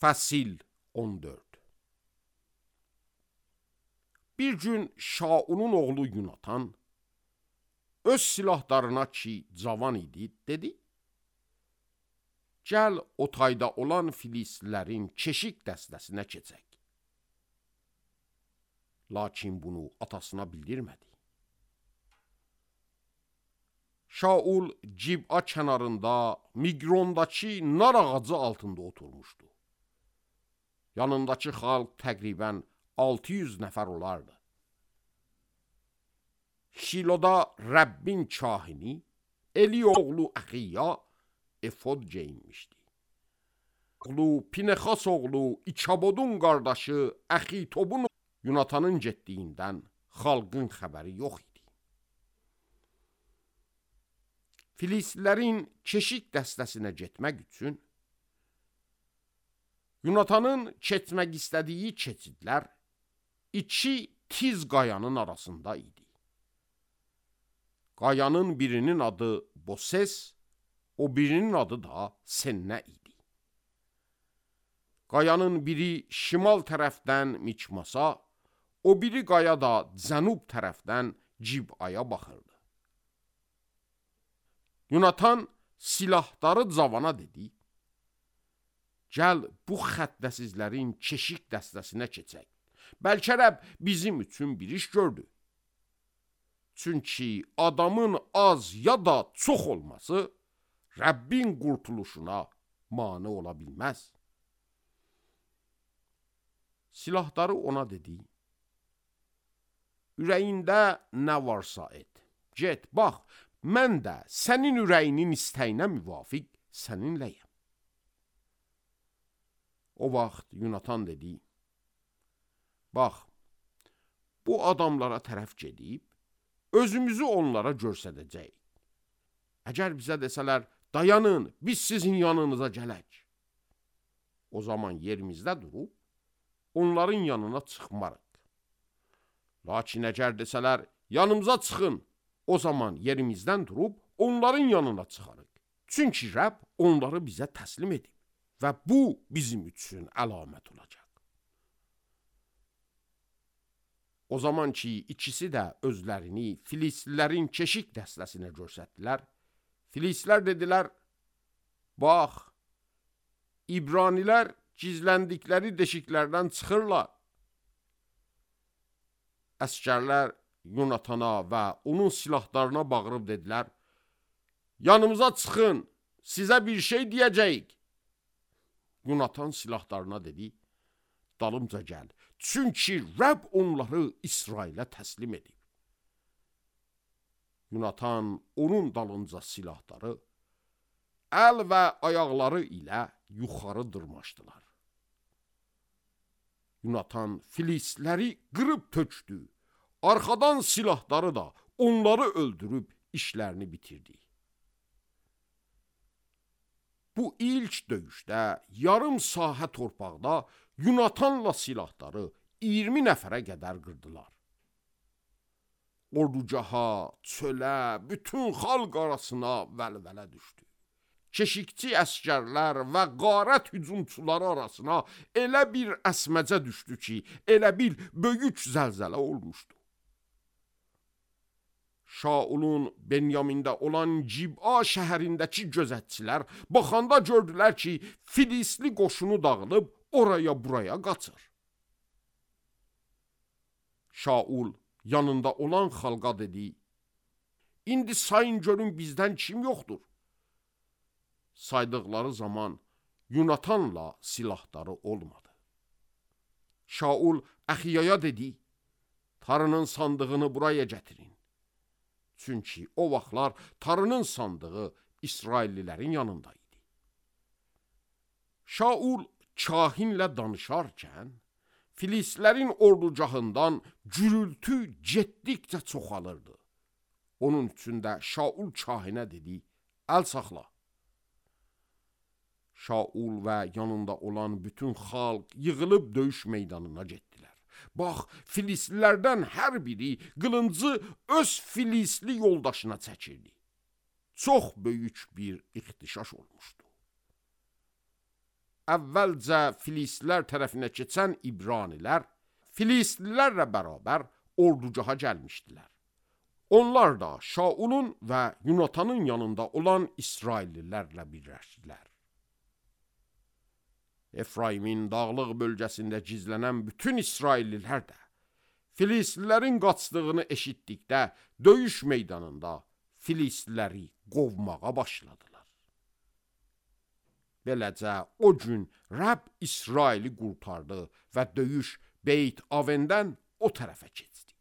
Fəsil 14. Bir gün Şaulun oğlu Yunatan öz silahlarına ki cavan idi, dedi: Gəl o tayda olan Filistlilərin keşik dəstəsinə keçək. Lakin bunu atasına bildirmədi. Şaul Cib'a kənarında Migrondakı nar ağacı altında oturmuşdu. Yanındakı xalq təqribən 600 nəfər olardı. Şiloda Rəbbin kahini Eli oğlu Əxiya efod geyinmişdi. Oğlu Pinexas oğlu İkabodun qardaşı Əxitobun Yunatanın getdiyindən xalqın xəbəri yox idi. Filistlilərin keşik dəstəsinə getmək üçün Yunatanın keçmək istədiyi keçidlər iki tiz qayanın arasında idi. Qayanın birinin adı Boses, o birinin adı da Sennə idi. Qayanın biri şimal tərəfdən Mikmasa, o biri qaya da cənub tərəfdən Cib'aya baxırdı. Yunatan silahdarı cavana dedi: Gəl bu xəttəsizlərin keşik dəstəsinə keçək. Bəlkə Rəbb bizim üçün bir iş gördü. Çünki adamın az ya da çox olması Rəbbin qurtuluşuna mane ola bilməz. Silahdarı ona dedi: Ürəyində nə varsa et. Get, bax, mən də sənin ürəyinin istəyinə müvafiq səninləyəm. O vaxt Yunatan dedi: Bax, bu adamlara tərəf gedib, özümüzü onlara göstərəcəyik. Əgər bizə desələr, dayanın, biz sizin yanınıza gələk. O zaman yerimizdə durub, onların yanına çıxmarıq. Lakin əgər desələr, yanımıza çıxın, o zaman yerimizdən durub, onların yanına çıxarıq. Çünki Rəbb onları bizə təslim edib və bu bizim üçün əlamət olacaq. O zaman ki, ikisi də özlərini Filistlilərin keşik dəstəsinə göstərdilər, Filistlilər dedilər: Bax, İbranilər gizləndikləri deşiklərdən çıxırlar. Əskərlər Yunatana və onun silahlarına bağırıb dedilər: Yanımıza çıxın, sizə bir şey deyəcəyik. Yunatan silahlarına dedi: Dalımca gəl, çünki Rəbb onları İsrailə təslim edib. Yunatan onun dalınca silahları əl və ayaqları ilə yuxarı dırmaşdılar. Yunatan Filistliləri qırıb tökdü, arxadan silahları da onları öldürüb işlərini bitirdi. Bu ilk döyüşdə yarım sahə torpaqda Yunatanla silahları 20 nəfərə qədər qırdılar. Orducaha, çölə, bütün xalq arasına vəlvələ düşdü. Keşikçi əskərlər və qarət hücumçuları arasına elə bir əsməcə düşdü ki, elə bir böyük zəlzələ olmuşdu. Şaulun Benyamində olan Cib'a şəhərindəki gözətçilər baxanda gördülər ki, Filistli qoşunu dağılıb oraya buraya qaçır. Şaul yanında olan xalqa dedi: İndi sayın görün bizdən kim yoxdur? Saydıqları zaman Yunatanla silahları olmadı. Şaul Əxiyaya dedi: Tarının sandığını buraya gətirin. Çünki o vaxtlar tarının sandığı İsraillilərin yanında idi. Şaul kahinlə danışarkən, Filistlilərin orducahından gürültü getdikcə çoxalırdı. Onun üçün də Şaul kahinə dedi: Əl saxla. Şaul və yanında olan bütün xalq yığılıb döyüş meydanına getdilər. Bax, Filistlilərdən hər biri qılıncı öz Filistli yoldaşına çəkirdi. Çox böyük bir ixtişaş olmuşdu. əvvəlcə Filistlər tərəfinə keçən İbranilər Filistlilərlə bərabər ordugaha gəlmişdilər. Onlar da Şaulun və Yunatanın yanında olan İsraillilərlə birləşdilər. Efraimin dağlıq bölgəsində gizlənən bütün İsraillilər də Filistlilərin qaçdığını eşitdikdə döyüş meydanında Filistliləri qovmağa başladılar. Beləcə o gün Rəbb İsraili qurtardı və döyüş Beyt Avendən o tərəfə keçdi.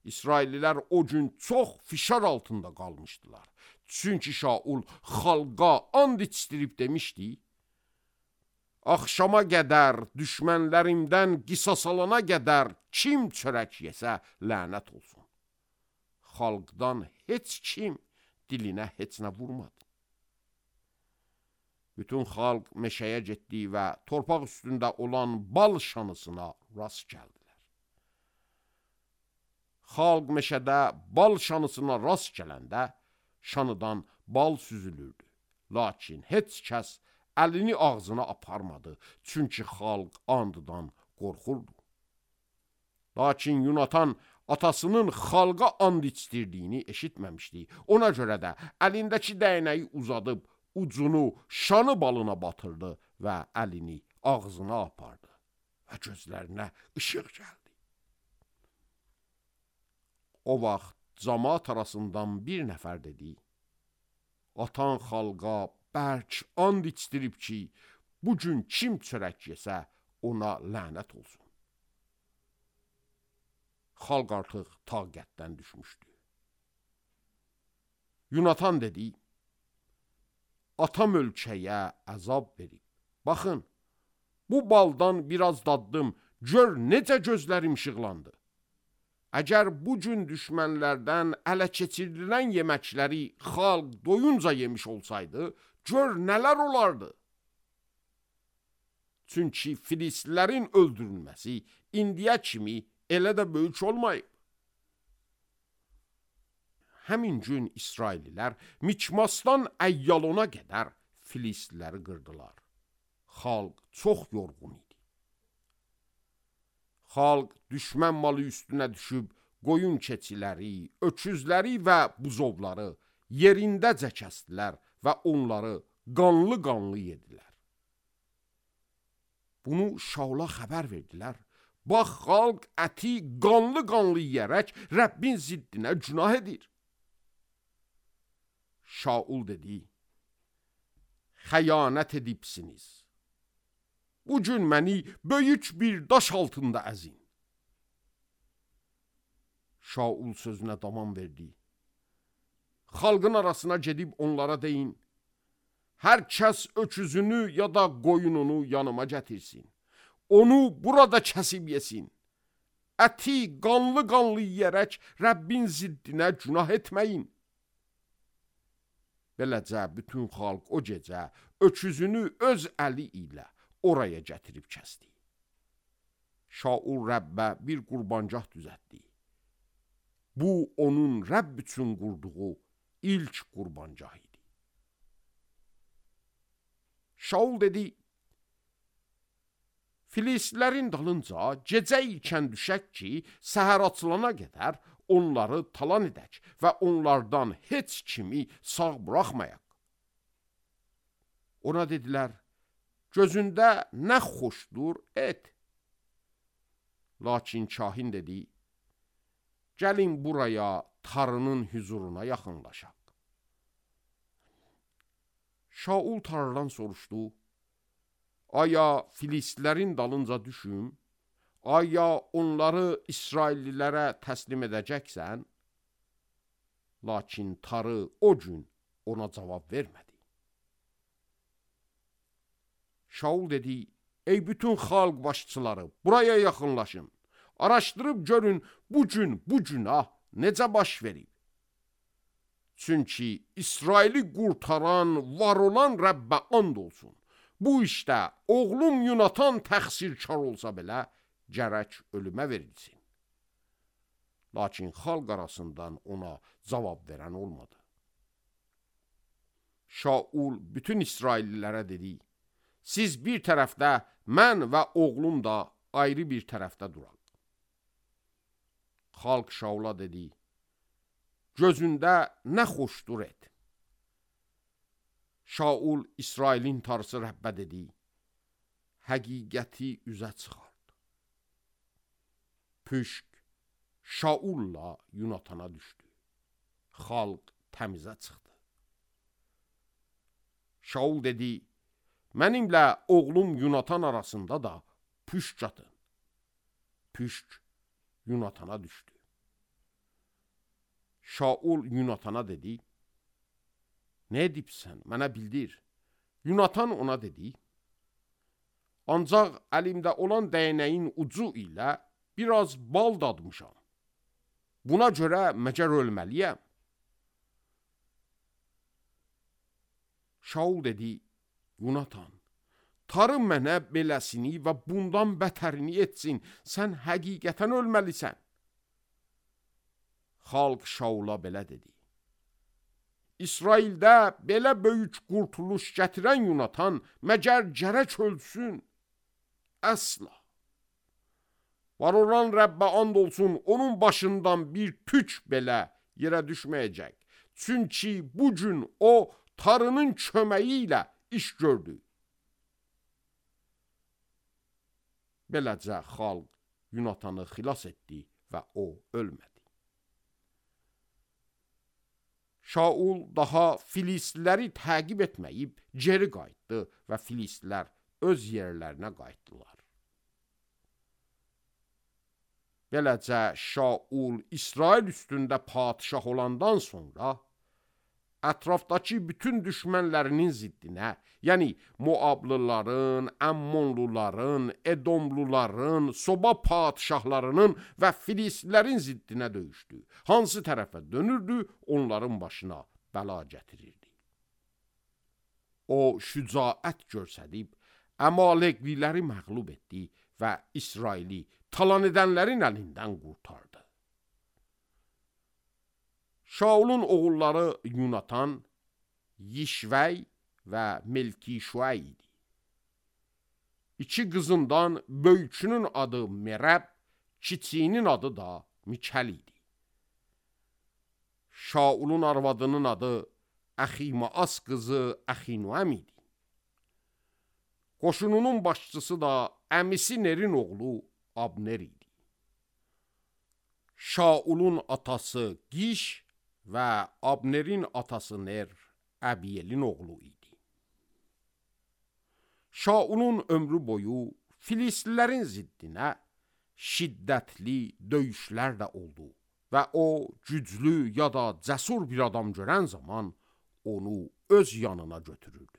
İsraillilər o gün çox fişar altında qalmışdılar. Çünki Şaul xalqa and içdirib demişdi: Axşama qədər, düşmənlərimdən qisas alana qədər kim çörək yesə lənət olsun. Xalqdan heç kim dilinə heç nə vurmadı. Bütün xalq meşəyə getdi və torpaq üstündə olan bal şanısına rast gəldilər. Xalq meşədə bal şanısına rast gələndə şanıdan bal süzülürdü. Lakin heç kəs əlini ağzına aparmadı, çünki xalq andıdan qorxurdu. Lakin Yunatan atasının xalqa and içdirdiyini eşitməmişdi. Ona görə də əlindəki dəynəyi uzadıb, ucunu şanı balına batırdı və əlini ağzına apardı və gözlərinə işıq gəldi. O vaxt cəmaət arasından bir nəfər dedi: Atan xalqa bərk and içdirib ki, bugün kim çörək yesə ona lənət olsun. Xalq artıq taqətdən düşmüşdü. Yunatan dedi: Atam ölkəyə əzab verib. Baxın, bu baldan biraz daddım, gör necə gözlərim işıqlandı. Əgər bugün düşmənlərdən ələ keçirilən yeməkləri xalq doyunca yemiş olsaydı, gör nələr olardı. Çünki Filistlilərin öldürülməsi indiyə kimi elə də böyük olmayıb. Həmin gün İsraillilər Mikmasdan Əyyalona qədər Filistliləri qırdılar. Xalq çox yorğun idi. Xalq düşmən malı üstünə düşüb qoyun keçiləri, öküzləri və buzovları yerindəcə kəsdilər və onları qanlı-qanlı yedilər. Bunu Şaula xəbər verdilər. Bax, xalq əti qanlı-qanlı yeyərək Rəbbin ziddinə günah edir. Şaul dedi: Xəyanət edibsiniz. Bugün məni böyük bir daş altında əzin. Şaul sözünə davam verdi: Xalqın arasına gedib onlara deyin: Hər kəs öküzünü ya da qoyununu yanıma gətirsin. Onu burada kəsib yesin. Əti qanlı-qanlı yeyərək Rəbbin ziddinə günah etməyin. Beləcə bütün xalq o gecə öküzünü öz əli ilə oraya gətirib kəsdi. Şaul Rəbbə bir qurbancaq düzəltdi. Bu, onun Rəbb üçün qurduğu ilk qurbancaq idi. Şaul dedi: Filistlilərin dalınca gecə ikən düşək ki, səhər açılana qədər onları talan edək və onlardan heç kimi sağ buraxmayaq. Ona dedilər: Gözündə nə xoşdur, et. Lakin kahin dedi: Gəlin buraya tarının hüzuruna yaxınlaşaq. Şaul tarıdan soruşdu: Aya Filistlilərin dalınca düşüm? Aya onları İsraillilərə təslim edəcəksən? Lakin tarı o gün ona cavab vermədi. Şaul dedi: Ey bütün xalq başçıları, buraya yaxınlaşın. Araşdırıb görün bugün bu günah necə baş verib. Çünki İsraili qurtaran, var olan Rəbbə and olsun. Bu işdə oğlum Yunatan təqsirkar olsa belə, gərək ölümə verilsin. Lakin xalq arasından ona cavab verən olmadı. Şaul bütün İsraillilərə dedi: Siz bir tərəfdə, mən və oğlum da ayrı bir tərəfdə duraq. Xalq Şaula dedi, gözündə nə xoşdur et. Şaul İsrailin tarısı Rəbbə dedi, həqiqəti üzə çıxart. Püşk Şaulla Yunatana düşdü. Xalq təmizə çıxdı. Şaul dedi, mənimlə oğlum Yunatan arasında da püşk atın. Püşk Yunatana düşdü. Şaul Yunatana dedi, nə edibsən, mənə bildir. Yunatan ona dedi, ancaq əlimdə olan dəyənəyin ucu ilə biraz bal dadmışam. Buna görə məcər ölməliyəm. Şaul dedi, Yunatan, tarı mənə beləsini və bundan bətərini etsin, sən həqiqətən ölməlisən. Xalq Şaula belə dedi, İsraildə belə böyük qurtuluş gətirən Yunatan məgər gərək ölsün? Əsla. Var olan Rəbbə and olsun, onun başından bir tük belə yerə düşməyəcək. Çünki bu gün o tarının köməyi ilə iş gördü. Beləcə xalq Yunatanı xilas etdi və o ölmədi. Şaul daha Filistliləri təqib etməyib geri qayıtdı və Filistlilər öz yerlərinə qayıtdılar. Beləcə Şaul İsrail üstündə padişah olandan sonra ətrafdakı bütün düşmənlərinin ziddinə, yəni Moablıların, Əmmonluların, Edomluların, Soba padişahlarının və Filistlilərin ziddinə döyüşdü. Hansı tərəfə dönürdü, onların başına bəla gətirirdi. O şücaət göstərib, Əmalekliləri məğlub etdi və İsraili talan edənlərin əlindən qurtardı. Şaulun oğulları Yunatan, Yişvəy və Melkişvəy idi. İki qızından böyükünün adı Merəb, kiçiyinin adı da Mikəl idi. Şaulun arvadının adı Əximaas qızı Əxinoam idi. Qoşununun başçısı da əmisi Nerin oğlu Abner idi. Şaulun atası Giş və Abnerin atası Ner Əbiyelin oğlu idi. Şaulun ömrü boyu Filistlilərin ziddinə şiddətli döyüşlər də oldu və o güclü ya da cəsur bir adam görən zaman onu öz yanına götürürdü.